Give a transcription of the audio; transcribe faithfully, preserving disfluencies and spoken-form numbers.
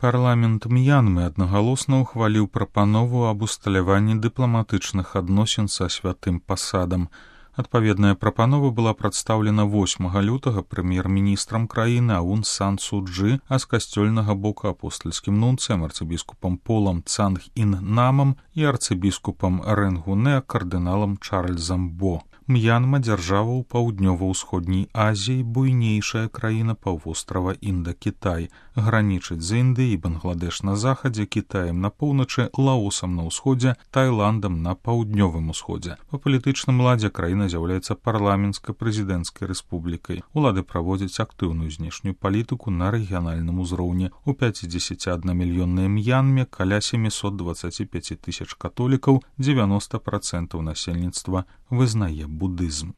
Парламент М'янмы аднагалосна ўхваліў прапанову аб усталяванні дыпламатычных адносін са святым пасадам. Адпаведная прапанова была прадстаўлена восьмага лютага прэм'ер-міністрам краіны Аун Сан Су Чжы, а з касцёльнага боку апостальскім нунцыем арцыбіскупам Полам Цанг Ін Намам і арцыбіскупам Рэнгунэ кардыналам Чарльзам Бо. М'янма — дзяржава ў паўднёва-ўсходняй Азіі, буйнейшая краіна паўвострава Інда-Кітай, гранічыць з Індыяй і Бангладэш на захадзе, Кітаем на поўначы, Лаосам на ўсходзе, Тайландам на паўднёвым усходзе. Па палітычным ладзе краіна з'яўляецца парламенцка-прэзідэнцкай рэспублікай. Улады праводзяць актыўную знешнюю палітыку на рэгіянальным узроўні. У пяцідзесяціаднамільённай М'янме каля сямісот дваццаць пяць тысяч католікаў, дзевяноста працэнтаў насельніцтва вызнае будызм.